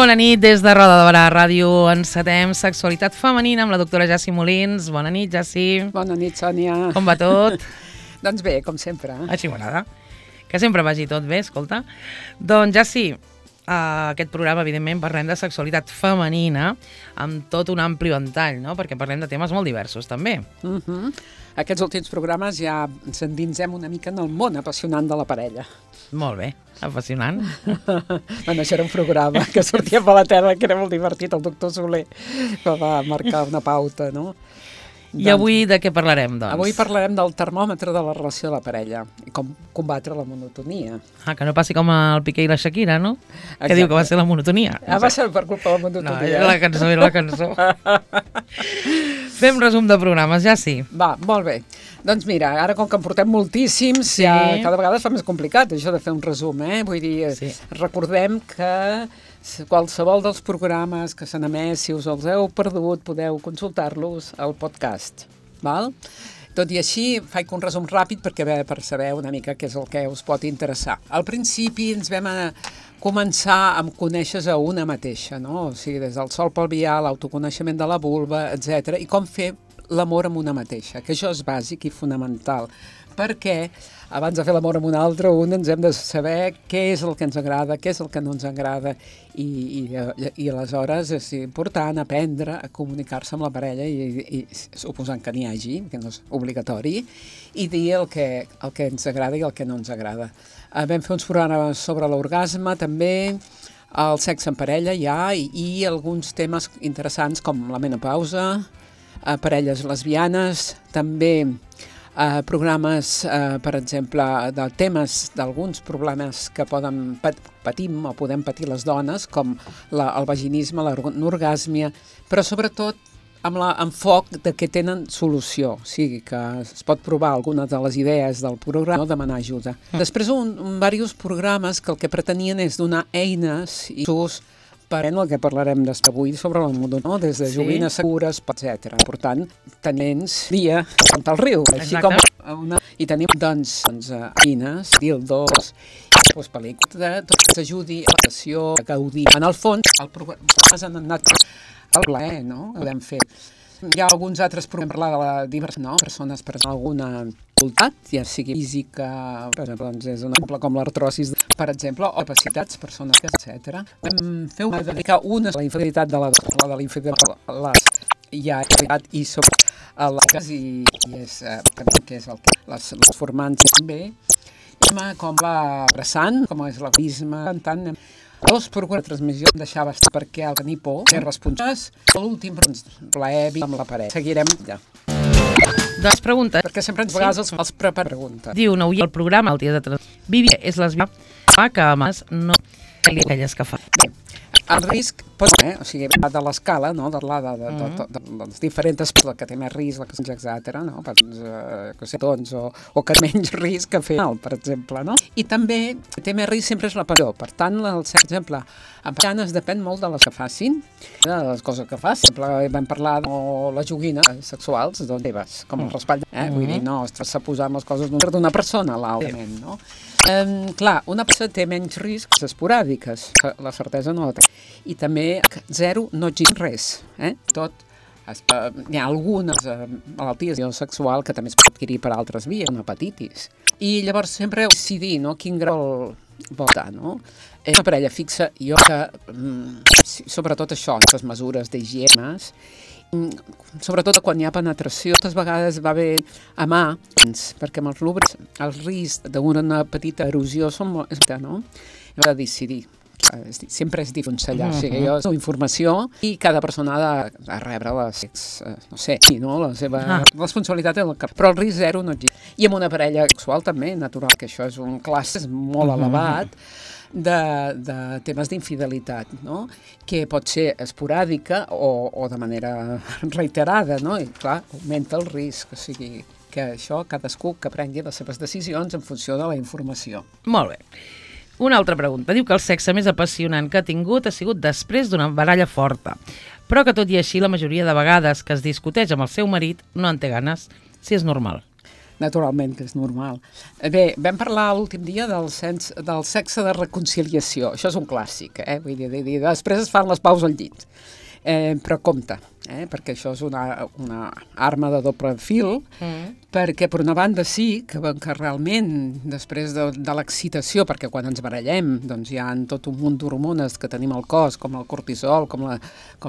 Bona nit, des de Roda de Barà Ràdio encetem Sexualitat Femenina amb la doctora Jassi Molins. Bona nit, Jassi. Bona nit, Sònia. Com va tot? Doncs bé, com sempre. Així m'agrada. Que sempre vagi tot bé, escolta. Doncs, Jassi, aquest programa, evidentment, parlem de sexualitat femenina amb tot un ampli ventall, no? Perquè parlem de temes molt diversos, també. Aquests últims programes ja ens endinsem una mica en el món apassionant de la parella. Molt bé, apassionant. Bueno, això era un programa que sortia per la tele, que era molt divertit, el doctor Soler, que va marcar una pauta, no? I avui de què parlarem, doncs? Avui parlarem del termòmetre de la relació de la parella i com combatre la monotonia. Que no passi com el Piqué i la Shakira, no? Exacte. Que diu que va ser la monotonia. Va ser per culpa de la monotonia. No, era la cançó. Fem resum de programes, ja sí. Va, molt bé. Doncs mira, ara com que en portem moltíssims, Sí. ja cada vegada es fa més complicat això de fer un resum, eh? Vull dir, Sí. Recordem que qualsevol dels programes que s'han emès, si us els heu perdut, podeu consultar-los al podcast, val? Tot i així, faig un resum ràpid per saber una mica què és el que us pot interessar. Al principi ens vam començar amb conèixer-se a una mateixa, no? O sigui, des del sol pelvià, l'autoconeixement de la vulva, etc. I com fer l'amor amb una mateixa, que això és bàsic i fonamental, perquè abans de fer l'amor amb una altra, ens hem de saber què és el que ens agrada, què és el que no ens agrada, i aleshores és important aprendre a comunicar-se amb la parella, i suposant que n'hi hagi, que no és obligatori, i dir el que ens agrada i el que no ens agrada. Vam fer uns programes sobre l'orgasme, també, el sexe en parella ja, i alguns temes interessants com la menopausa, parelles lesbianes, també programes, per exemple, de temes d'alguns problemes que patim o podem patir les dones, com el vaginisme, l'anorgàsmia, però sobretot amb l'enfoc de que tenen solució, o sigui que es pot provar algunes de les idees del programa o demanar ajuda. Després diversos programes que el que pretenien és donar eines i ús per el que parlarem avui sobre la monotonia, des de joguines segures, etc. Per tant, tenim dia al riu, així com i tenim, doncs, eines, dildos, pel·lícules, tot que s'ajudi a l'atenció, a gaudir. En el fons, els programes han anat al plaer, no? Ho hem fet. Hi ha alguns altres programes per parlar de la diversitat, no? Persones per alguna dificultat, ja sigui física, per exemple, doncs és un exemple com l'artrosis, per exemple, o capacitats, persones, etc. Vam fer dedicar una a la infidelitat de la infidelitat, ja i sobre les i és que és el que les formants també, com l'abraçant, com és l'egoisme, tant dos programes de transmissió em deixava estar perquè el tenir por, ser responsables, l'últim plaer amb la parella. Seguirem allà. Doncs pregunta. Perquè sempre ens vegades els prepara preguntes. Diu, no el programa, el dia de Vivia és lesbiana, que a més no hi ha aquelles que fa. Bé, el risc pot ser, o sigui, de l'escala, no? De les diferents aspectes, que té més risc, etc., no? O que menys risc que fer, per exemple, no? I també té més risc sempre és la passió. Per tant, per exemple, amb ganes depèn molt de les que facin, de les coses que facin. Vam parlar de les joguines sexuals, doncs teves, com el raspall, vull dir, no, s'ha posat les coses d'una persona a l'altra, no? Clar, una persona té menys riscs esporàdiques, la certesa no la té. I també, zero, no exigim res, tot. Hi ha algunes malalties sexual que també es pot adquirir per altres vies, una hepatitis. I llavors sempre decidir, no?, quin grau vol estar, no? És una parella fixa, jo que, sobretot això, aquestes mesures d'higiene, sobretot quan hi ha penetració, moltes vegades va bé amar, perquè amb els lúbrics el risc d'una petita erosió són molt, no? Hem de decidir. Sempre és d'aconsellar, o sigui, jo dono informació i cada persona ha de rebre la seva responsabilitat, però el risc zero no existe. I amb una parella sexual també, natural, que això és un classe molt elevat de temes d'infidelitat, no? Que pot ser esporàdica o de manera reiterada, no? I clar, augmenta el risc, o sigui que això cadascú que prengui les seves decisions en funció de la informació. Molt bé. Una altra pregunta. Diu que el sexe més apassionant que ha tingut ha sigut després d'una baralla forta, però que tot i així la majoria de vegades que es discuteix amb el seu marit no en té ganes, si és normal. naturalment que és normal. Bé, vam parlar l'últim dia del sexe de reconciliació. Això és un clàssic, vull dir, després es fan les paus al llit. Però compte, perquè això és una arma de doble fil, perquè per una banda sí que realment després de l'excitació, perquè quan ens barallem doncs hi ha tot un munt d'hormones que tenim al cos, com el cortisol, com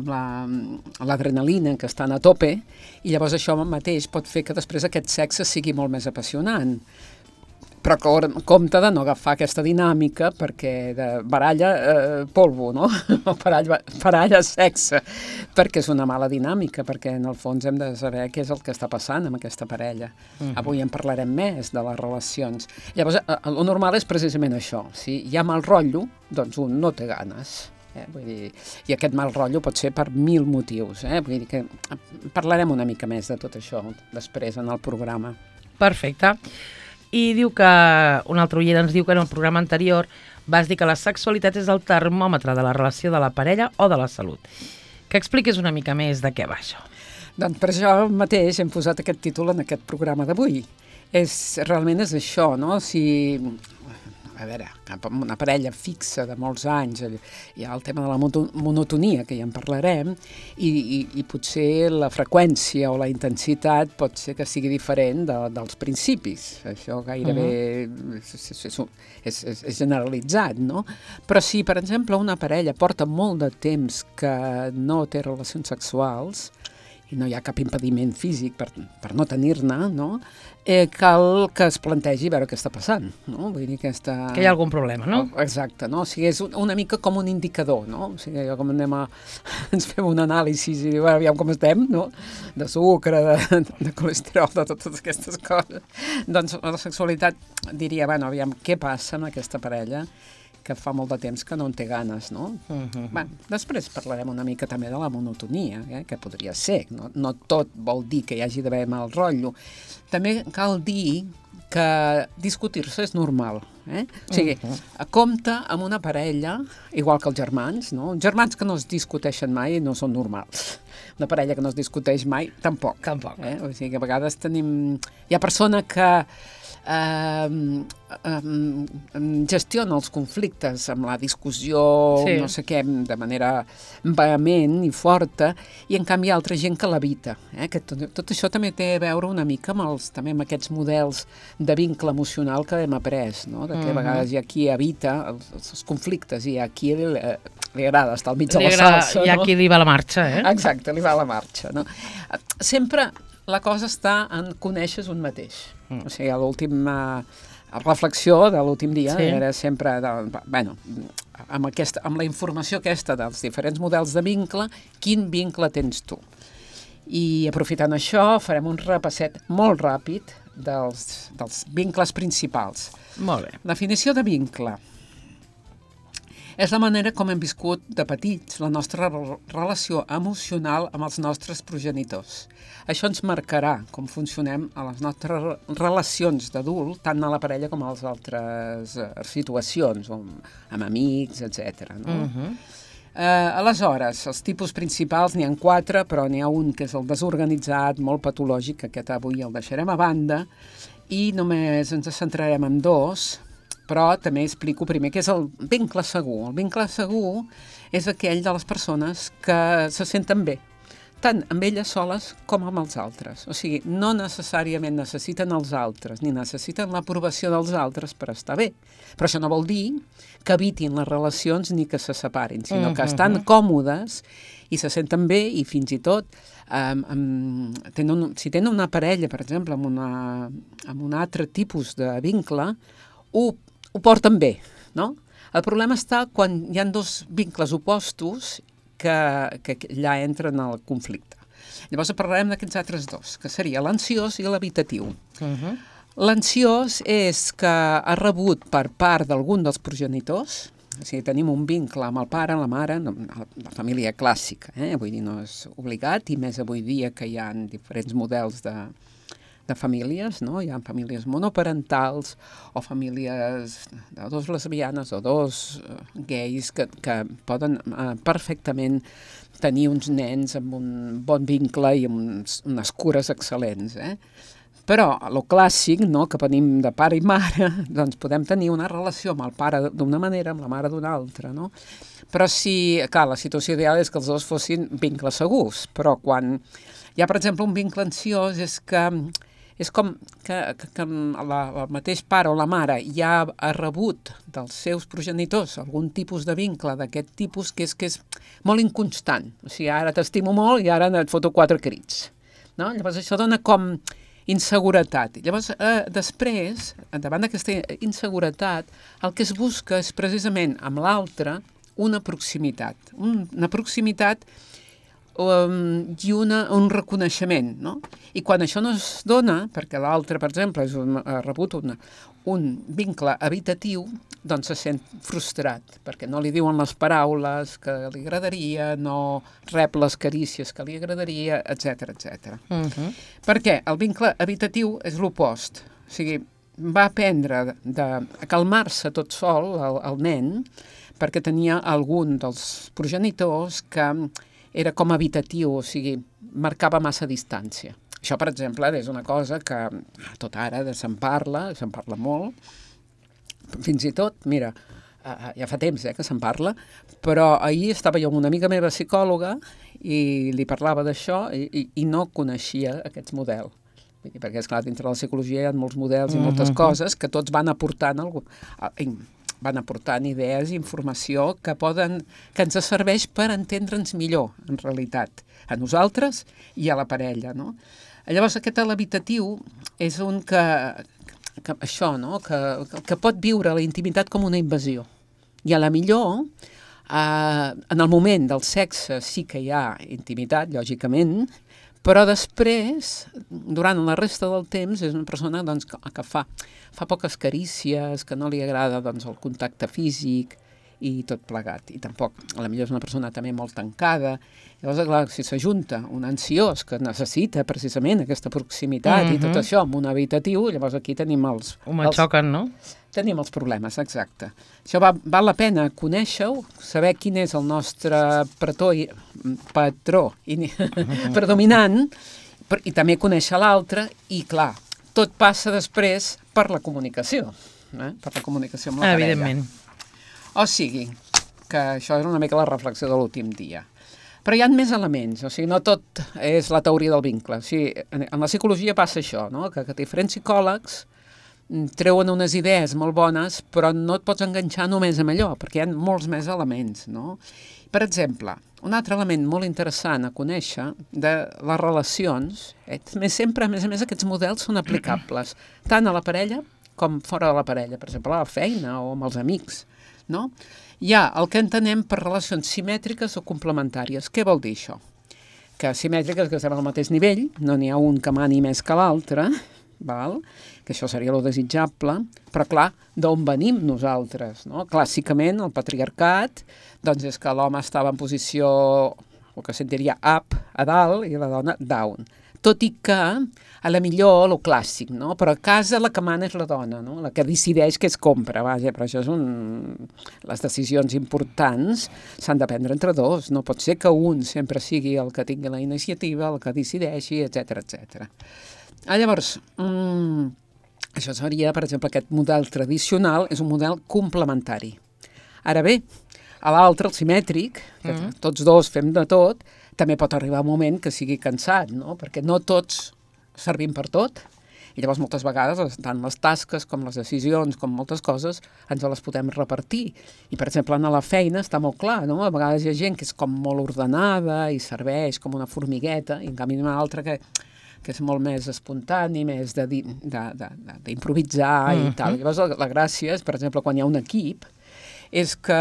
l'adrenalina, que estan a tope, i llavors això mateix pot fer que després aquest sexe sigui molt més apassionant. Però compte de no agafar aquesta dinàmica perquè de baralla polvo, no? O baralla sexe, perquè és una mala dinàmica, perquè en el fons hem de saber què és el que està passant amb aquesta parella. Avui en parlarem més de les relacions. Llavors, el normal és precisament això. Si hi ha mal rotllo, doncs un no té ganes. Vull dir, i aquest mal rotllo pot ser per 1000 motius. Vull dir que parlarem una mica més de tot això després en el programa. Perfecte. I diu que, un altre oient ens diu que en el programa anterior vas dir que la sexualitat és el termòmetre de la relació de la parella o de la salut. Que expliquis una mica més de què va això. Doncs per això mateix hem posat aquest títol en aquest programa d'avui. Realment és això, no? A veure, una parella fixa de molts anys, hi ha el tema de la monotonia, que ja en parlarem, i potser la freqüència o la intensitat pot ser que sigui diferent dels principis. Això gairebé és generalitzat, no? Però si, per exemple, una parella porta molt de temps que no té relacions sexuals, i no hi ha cap impediment físic per no tenir-ne, no? Cal que es plantegi veure què està passant, no? Vull dir que hi ha algun problema, no? Exacte, no? O sigui, és una mica com un indicador, no? O sigui, com ens fem un anàlisi i diu, aviam com estem, no? De sucre, de colesterol, de totes aquestes coses. Doncs la sexualitat diria, bueno, aviam, què passa amb aquesta parella que fa molt de temps que no en té ganes, no? Després parlarem una mica també de la monotonia, que podria ser. No tot vol dir que hi hagi d'haver mal rotllo. També cal dir que discutir-se és normal. O sigui, compte amb una parella, igual que els germans, no? Germans que no es discuteixen mai no són normals. Una parella que no es discuteix mai, tampoc. O sigui, que a vegades hi ha persona que gestiona els conflictes amb la discussió, no sé què, de manera vehement i forta, i en canvi hi ha altra gent que l'evita. Que tot això també té a veure una mica amb aquests models de vincle emocional que hem après, no? De que a vegades hi ha qui evita els conflictes i hi ha qui li agrada estar al mig de la salsa. Hi ha qui li va la marxa, Exacte, li va la marxa, no? Sempre la cosa està en conèixer un mateix. O sigui, l'última reflexió de l'últim dia era sempre, amb la informació aquesta dels diferents models de vincle, quin vincle tens tu? I aprofitant això, farem un repasset molt ràpid dels vincles principals. Molt bé. Definició de vincle. És la manera com hem viscut de petits la nostra relació emocional amb els nostres progenitors. Això ens marcarà com funcionem a les nostres relacions d'adult, tant a la parella com a les altres situacions, amb amics, etc. Aleshores, els tipus principals n'hi ha 4, però n'hi ha un que és el desorganitzat, molt patològic, aquest avui el deixarem a banda, i només ens centrarem en 2, però també explico primer què és el vincle segur. El vincle segur és aquell de les persones que se senten bé, tant amb elles soles com amb els altres. O sigui, no necessàriament necessiten els altres, ni necessiten l'aprovació dels altres per estar bé. Però això no vol dir que evitin les relacions ni que se separin, sinó que estan còmodes i se senten bé i fins i tot si tenen una parella, per exemple, amb un altre tipus de vincle, ho porten bé, no? El problema està quan hi ha 2 vincles opostos que allà entren al conflicte. Llavors parlarem d'aquests altres 2, que seria l'ansiós i l'evitatiu. L'ansiós és que ha rebut per part d'algun dels progenitors, o sigui, tenim un vincle amb el pare, la mare, la família clàssica, vull dir, no és obligat, i més avui dia que hi ha diferents models de famílies, no? Hi ha famílies monoparentals o famílies de 2 lesbianes o 2 gais que poden perfectament tenir uns nens amb un bon vincle i amb unes cures excel·lents, Però, a lo clàssic, no?, que venim de pare i mare, doncs podem tenir una relació amb el pare d'una manera, amb la mare d'una altra, no? Però sí, clar, la situació ideal és que els dos fossin vincles segurs, però quan hi ha, per exemple, un vincle ansiós és com que el mateix pare o la mare ja ha rebut dels seus progenitors algun tipus de vincle d'aquest tipus que és molt inconstant. O sigui, ara t'estimo molt i ara et foto 4 crits. No? Llavors això dona com inseguretat. Llavors, després, davant d'aquesta inseguretat, el que es busca és precisament amb l'altre una proximitat. Una proximitat i un reconeixement, no? I quan això no es dona, perquè l'altre, per exemple, ha rebut un vincle habitatiu, doncs se sent frustrat, perquè no li diuen les paraules que li agradaria, no rep les carícies que li agradaria, etc etc. Per què? El vincle habitatiu és l'opost. O sigui, va aprendre a calmar-se tot sol, el nen, perquè tenia algun dels progenitors que era com habitatiu, o sigui, marcava massa distància. Això, per exemple, és una cosa que tot ara se'n parla molt, fins i tot, mira, ja fa temps que se'n parla, però ahir estava jo amb una amiga meva psicòloga i li parlava d'això i no coneixia aquest model. Perquè, esclar, dintre de la psicologia hi ha molts models i moltes coses que tots van aportant idees i informació que ens serveix per entendre'ns millor, en realitat, a nosaltres i a la parella, no? Llavors, aquest habitatiu és un que això, no?, que pot viure la intimitat com una invasió. I a la millor, en el moment del sexe sí que hi ha intimitat, lògicament, però després, durant la resta del temps, és una persona doncs, que fa poques carícies, que no li agrada doncs, el contacte físic i tot plegat. I tampoc, a la millor és una persona també molt tancada. Llavors, clar, si s'ajunta un ansiós que necessita precisament aquesta proximitat i tot això amb un habitatiu, llavors aquí tenim els... xoquen, no? Tenim els problemes, exacte. Això val la pena conèixer-ho, saber quin és el nostre patró predominant i també conèixer l'altre i, clar, tot passa després per la comunicació, per la comunicació amb la parella. Evidentment. O sigui, que això és una mica la reflexió de l'últim dia. Però hi ha més elements, o sigui, no tot és la teoria del vincle. O sigui, en la psicologia passa això, no?, que diferents psicòlegs treuen unes idees molt bones, però no et pots enganxar només amb allò, perquè hi ha molts més elements, no? Per exemple, un altre element molt interessant a conèixer de les relacions, sempre, a més, aquests models són aplicables tant a la parella com fora de la parella, per exemple, a la feina o amb els amics, no? Hi ha el que entenem per relacions simètriques o complementàries. Què vol dir això? Que simètriques, que estem al mateix nivell, no n'hi ha un que mani més que l'altre, que això seria lo desitjable, però clar, d'on venim nosaltres, no? Clàssicament, el patriarcat, doncs és que l'home estava en posició, el que se'n diria up, a dalt, i la dona down. Tot i que, a la millor, lo clàssic, no? Però a casa la que mana és la dona, no? La que decideix què es compra, vaja, però això és les decisions importants s'han de prendre entre dos, no pot ser que un sempre sigui el que tingui la iniciativa, el que decideixi, etc etc. Llavors, això seria, per exemple, aquest model tradicional és un model complementari. Ara bé, a l'altre, el simètric, que tots dos fem de tot, també pot arribar un moment que sigui cansat, no? Perquè no tots servim per tot, i llavors moltes vegades tant les tasques com les decisions, com moltes coses, ens les podem repartir. I, per exemple, a la feina està molt clar, no? A vegades hi ha gent que és com molt ordenada i serveix com una formigueta, i en canvi una altra que és molt més espontani, més d'improvisar i tal. Llavors la gràcia és, per exemple, quan hi ha un equip, és que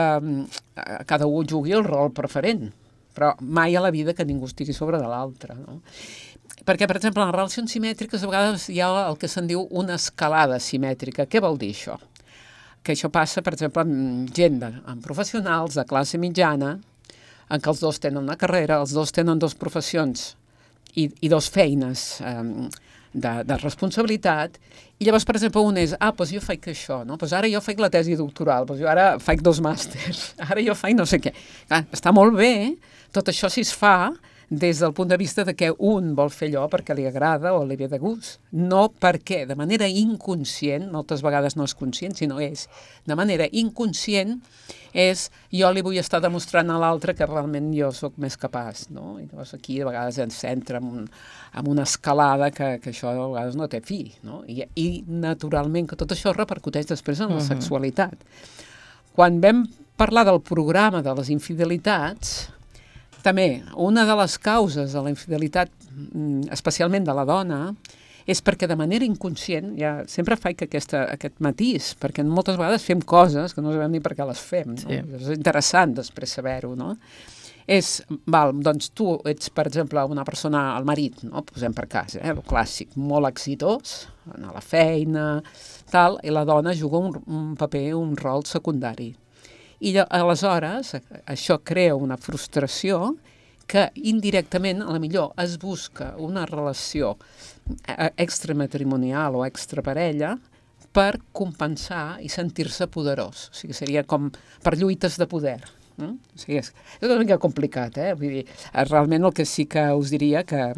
cada un jugui el rol preferent, però mai a la vida que ningú estigui sobre de l'altre, no? Perquè, per exemple, en les relacions simètriques a vegades hi ha el que se'n diu una escalada simètrica. Què vol dir això? Que això passa, per exemple, amb gent, amb professionals de classe mitjana, en què els dos tenen una carrera, els dos tenen dues professions i dues feines de responsabilitat, i llavors, per exemple, un és, doncs jo faig això, no? Doncs ara jo faig la tesi doctoral, doncs jo ara faig 2 màsters, ara jo faig no sé què. Clar, està molt bé, tot això si es fa des del punt de vista de que un vol fer allò perquè li agrada o li ve de gust, no perquè de manera inconscient, moltes vegades no és conscient, sinó és de manera inconscient, és jo li vull estar demostrant a l'altre que realment jo sóc més capaç, no? I llavors aquí a vegades ens entra en una escalada que això a vegades no té fi, no? I naturalment que tot això repercuteix després en la sexualitat. Quan vam parlar del programa de les infidelitats, també una de les causes de la infidelitat, especialment de la dona, és perquè de manera inconscient, ja sempre faig aquest matís, perquè moltes vegades fem coses que no sabem ni per què les fem, no? Sí. És interessant després saber-ho, no? Doncs tu ets, per exemple, una persona, el marit, no? Posem per cas, el clàssic, molt exitós, anar a la feina, tal, i la dona juga un paper, un rol secundari. I aleshores això crea una frustració que indirectament, a la millor, es busca una relació extramatrimonial o extraparella per compensar i sentir-se poderós. O sigui, seria com per lluites de poder. O sigui, és una mica complicat, Vull dir, realment el que sí que us diria que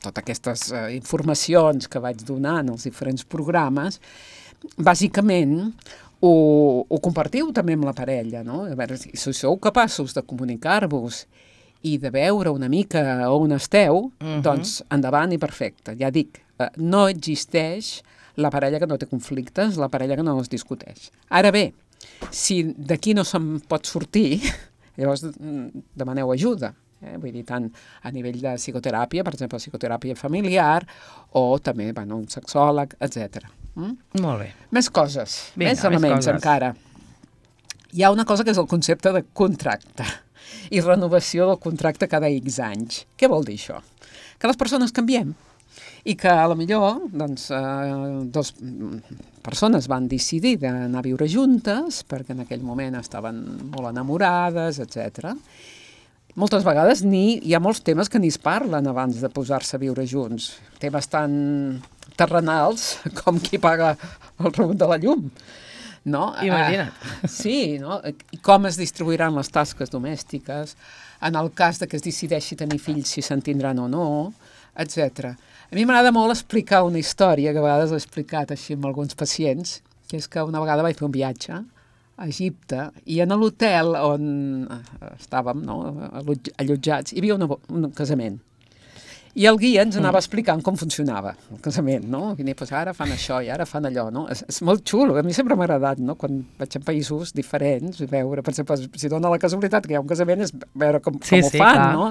totes aquestes informacions que vaig donar en els diferents programes, bàsicament ho compartiu també amb la parella, no? A veure, si sou capaços de comunicar-vos i de veure una mica on esteu, doncs endavant i perfecte. Ja dic, no existeix la parella que no té conflictes, la parella que no es discuteix. Ara bé, si d'aquí no se'n pot sortir, llavors demaneu ajuda. Vull dir, tant a nivell de psicoteràpia, per exemple, psicoteràpia familiar, o també, un sexòleg, etc. Molt bé. Més coses, més elements encara. Hi ha una cosa que és el concepte de contracte i renovació del contracte cada X anys. Què vol dir això? Que les persones canviem i que a la millor dues persones van decidir d'anar a viure juntes perquè en aquell moment estaven molt enamorades, etc. Moltes vegades hi ha molts temes que ni es parlen abans de posar-se a viure junts. Temes tan terrenals com qui paga el rebut de la llum. No? Imagina't. Sí, no? I com es distribuiran les tasques domèstiques, en el cas de que es decideixi tenir fills, si se'n tindran o no, etc. A mi m'agrada molt explicar una història, que a vegades l'he explicat així amb alguns pacients, que és que una vegada vaig fer un viatge a Egipte i en l'hotel on estàvem allotjats hi havia un casament. I el guia ens anava explicant com funcionava el casament, no? I doncs ara fan això i ara fan allò, no? És molt xulo, a mi sempre m'ha agradat, no? Quan vaig a països diferents, veure, per exemple, si dona la casualitat que hi ha un casament, és veure com ho fan, clar. No?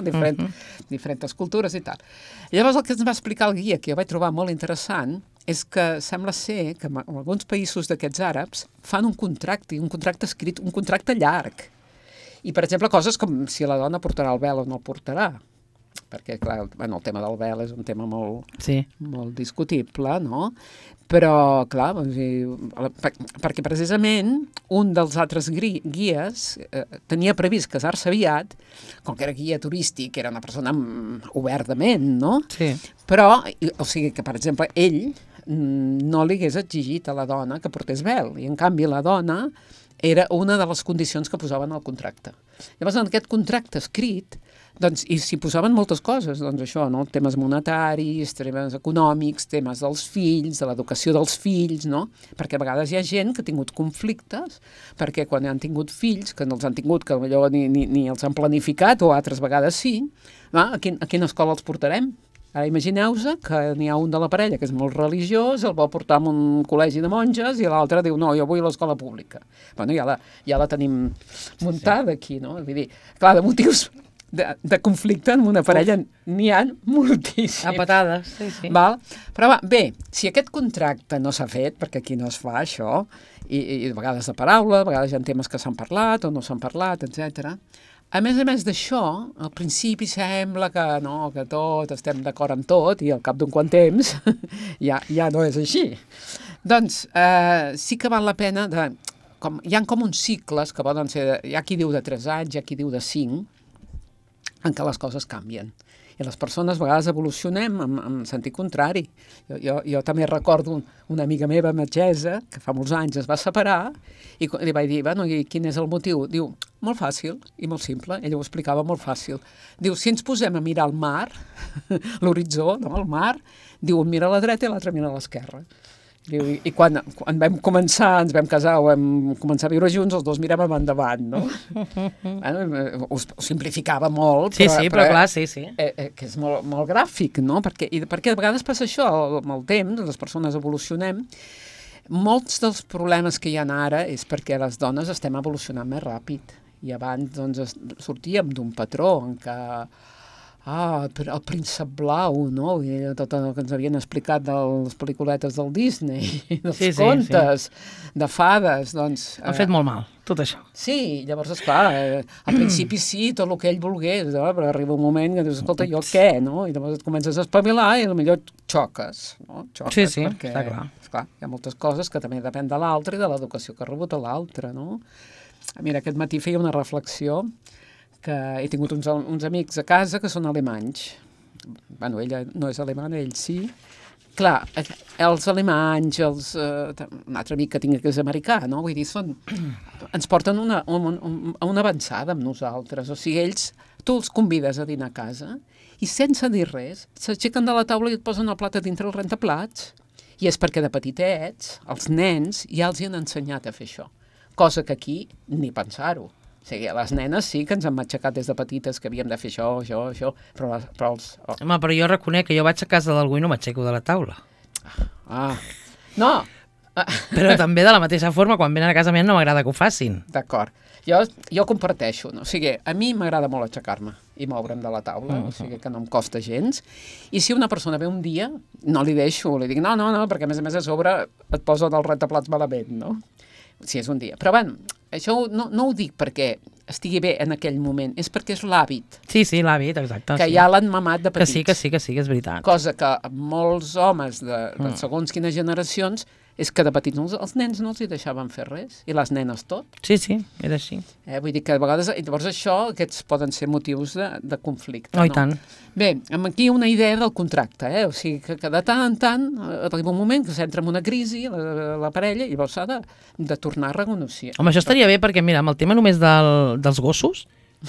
Diferents cultures i tal. I llavors el que ens va explicar el guia, que jo vaig trobar molt interessant, és que sembla ser que en alguns països d'aquests àrabs fan un contracte escrit, un contracte llarg. I, per exemple, coses com si la dona portarà el vel o no el portarà, perquè, clar, el tema del vel és un tema molt discutible, no? Però, clar, perquè precisament un dels altres guies tenia previst casar-se aviat, com que era guia turístic, era una persona obertament, no? Sí. Però, o sigui que, per exemple, ell no li hagués exigit a la dona que portés vel, i en canvi la dona era una de les condicions que posaven al contracte. Llavors, en aquest contracte escrit, doncs, i s'hi posaven moltes coses, doncs això, no? Temes monetaris, temes econòmics, temes dels fills, de l'educació dels fills, no? Perquè a vegades hi ha gent que ha tingut conflictes, perquè quan han tingut fills, que no els han tingut, que potser ni els han planificat, o altres vegades sí, a quina escola els portarem? Ara imagineu-vos que n'hi ha un de la parella que és molt religiós, el vol portar a un col·legi de monges i l'altre diu, no, jo vull a l'escola pública. Bueno, ja la tenim muntada aquí, no? Vull dir, clar, de motius de conflicte en una parella n'hi ha moltíssims. A patades, sí. Val? Però bé, si aquest contracte no s'ha fet, perquè aquí no es fa això, i a vegades de paraula, a vegades hi ha temes que s'han parlat o no s'han parlat, etc. A més d'això, al principi sembla que no, que tot, estem d'acord amb tot, i al cap d'un quant temps ja no és així. Doncs sí que val la pena hi ha com uns cicles que poden ser, hi ha qui diu de 3 anys, hi ha qui diu de 5, en què les coses canvien. I les persones a vegades evolucionem en sentit contrari. Jo també recordo una amiga meva metgessa que fa molts anys es va separar i li vaig dir, bueno, i quin és el motiu? Diu, molt fàcil i molt simple. Ella ho explicava molt fàcil. Diu, si ens posem a mirar el mar, l'horitzó, no? El mar, diu, un mira a la dreta i l'altre mira a l'esquerra. Diu, i quan vam començar, ens vam casar o vam començar a viure junts, els dos miràvem endavant, no? Bueno, ho simplificava molt, però clar, sí. Que és molt, molt gràfic, no? Perquè a vegades passa això, amb el temps, les persones evolucionem. Molts dels problemes que hi ha ara és perquè les dones estem evolucionant més ràpid. I abans doncs, sortíem d'un patró en què el príncep blau, no? I tot el que ens havien explicat de les pel·lículetes del Disney, dels contes, de fades, doncs... Ha fet molt mal, tot això. Sí, llavors, esclar, al principi sí, tot el que ell volgués, no? Però arriba un moment que dius, escolta, jo què, no? I llavors et comences a espavilar i potser xoques, no? Xoques, sí, perquè, està clar. Esclar, hi ha moltes coses que també depèn de l'altre i de l'educació que ha rebut l'altre, no? Mira, aquest matí feia una reflexió que he tingut uns amics a casa que són alemanys. Bueno, ella no és alemanya, ell sí. Clar, els alemanys, un altre amic que tinc que és americà, no? Vull dir, ens porten una avançada amb nosaltres. O sigui, tu els convides a dinar a casa i sense dir res, s'aixequen de la taula i et posen el plat a dintre el rentaplats. I és perquè de petitets, els nens ja els hi han ensenyat a fer això. Cosa que aquí ni pensar-ho. O sigui, les nenes sí que ens han matxacat des de petites que havíem de fer això, però els... Home, però jo reconec que jo vaig a casa d'algú i no m'aixeco de la taula. No! Però també de la mateixa forma, quan venen a casa meva no m'agrada que ho facin. D'acord. Jo comparteixo, no? O sigui, a mi m'agrada molt aixecar-me i moure'm de la taula, o sigui que no em costa gens. I si una persona ve un dia, no li deixo, li dic no, perquè a més a sobre et posa del rentaplats malament, no? Si és un dia. Però, bueno, això no ho dic perquè estigui bé en aquell moment, és perquè és l'hàbit. Sí, l'hàbit, exacte. Que ja l'han mamat de petits. Que sí, és veritat. Cosa que molts homes de segons quines generacions és que de petits els nens no els hi deixaven fer res, i les nenes tot. Sí, era així. Vull dir que a vegades, llavors aquests poden ser motius de conflicte. Oh, i tant. Bé, aquí una idea del contracte, o sigui que de tant en tant arriba un moment que s'entra en una crisi la parella i llavors s'ha de tornar a renegociar. Home, això estaria bé perquè, mira, amb el tema només dels gossos,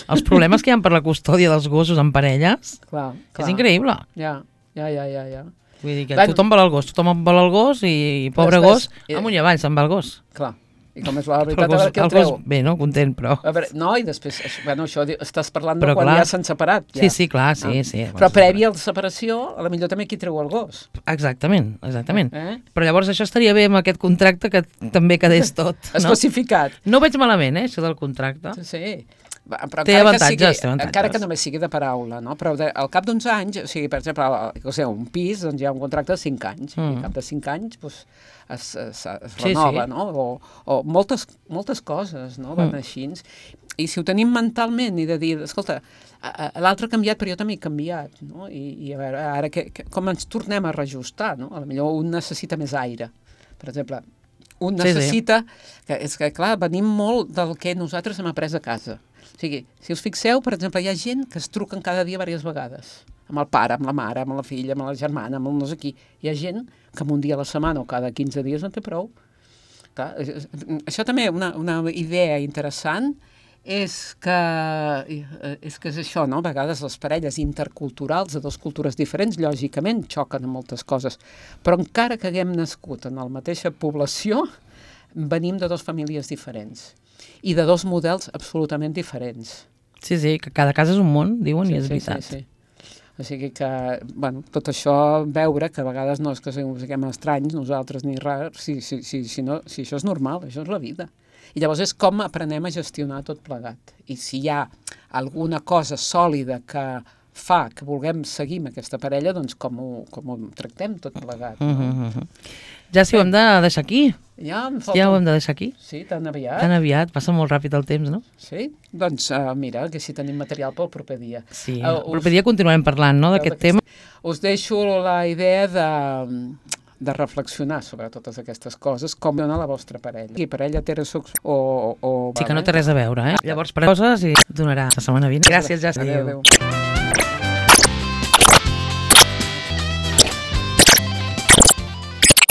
els problemes que hi ha per la custòdia dels gossos en parelles, clar. És increïble. Ja. Vull dir que tothom vol el gos i pobre gos, amunt i avall se'n va el gos. Clar. I com és la veritat, a veure què el treu. Bé, no? Content, però... A veure, no, i després, això estàs parlant de quan ja s'han separat. Ja. Sí, clar, sí. Però previ a la separació, a la millor també qui treu el gos. Exactament. Però llavors això estaria bé amb aquest contracte que també quedés tot. Especificat. No veig malament, això del contracte. Sí. Però té avantatges. Encara que només sigui de paraula, no? Però al cap d'uns anys, o sigui, per exemple, un pis, doncs hi ha un contracte de 5 anys, i al cap de 5 anys doncs, es renova, no? O moltes coses, no? Van així. I si ho tenim mentalment i de dir, escolta, l'altre ha canviat, però jo també he canviat, no? I a veure, ara com ens tornem a reajustar, no? A lo millor un necessita més aire, per exemple. Un necessita, que és que clar, venim molt del que nosaltres hem après a casa. O sigui, si us fixeu, per exemple, hi ha gent que es truquen cada dia diverses vegades, amb el pare, amb la mare, amb la filla, amb la germana, amb el no sé qui. Hi ha gent que un dia a la setmana o cada 15 dies no té prou. Clar, això també, una idea interessant, és que és això, no? A vegades les parelles interculturals de dues cultures diferents, lògicament, xoquen amb moltes coses, però encara que haguem nascut en la mateixa població, venim de dues famílies diferents i de dos models absolutament diferents. Sí, que cada casa és un món, diuen, i és veritat. Sí. O sigui que, bueno, tot això, veure que a vegades no és que siguem estranys, nosaltres ni rars, si això és normal, això és la vida. I llavors és com aprenem a gestionar tot plegat. I si hi ha alguna cosa sòlida que fa que vulguem seguir amb aquesta parella, doncs com ho tractem tot plegat. Ja si ho hem de deixar aquí. Ja ho hem de deixar aquí. Sí, tan aviat. Tan aviat, passa molt ràpid el temps, no? Sí, doncs mira, que si tenim material pel proper dia. Sí, el proper dia continuarem parlant, no?, d'aquest tema. Us deixo la idea de reflexionar sobre totes aquestes coses, com dona la vostra parella. I parella heterosexual o... Sí, que no té res a veure, eh? Llavors, per coses i donarà la setmana vinent. Gràcies, ja. Adéu.